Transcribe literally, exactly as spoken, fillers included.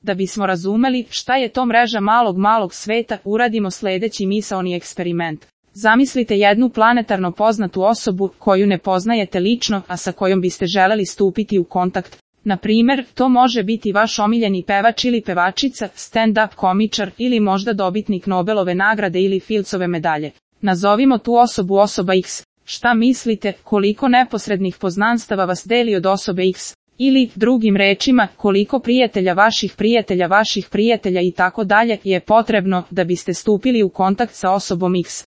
Da bismo razumeli šta je to mreža malog malog sveta, uradimo sledeći misaoni eksperiment. Zamislite jednu planetarno poznatu osobu koju ne poznajete lično, a sa kojom biste želeli stupiti u kontakt. Na primer, to može biti vaš omiljeni pevač ili pevačica, stand-up komičar ili možda dobitnik Nobelove nagrade ili Fildsove medalje. Nazovimo tu osobu osoba X. Šta mislite, koliko neposrednih poznanstava vas deli od osobe X? Ili, drugim rečima, koliko prijatelja vaših prijatelja vaših prijatelja i tako dalje je potrebno da biste stupili u kontakt sa osobom X?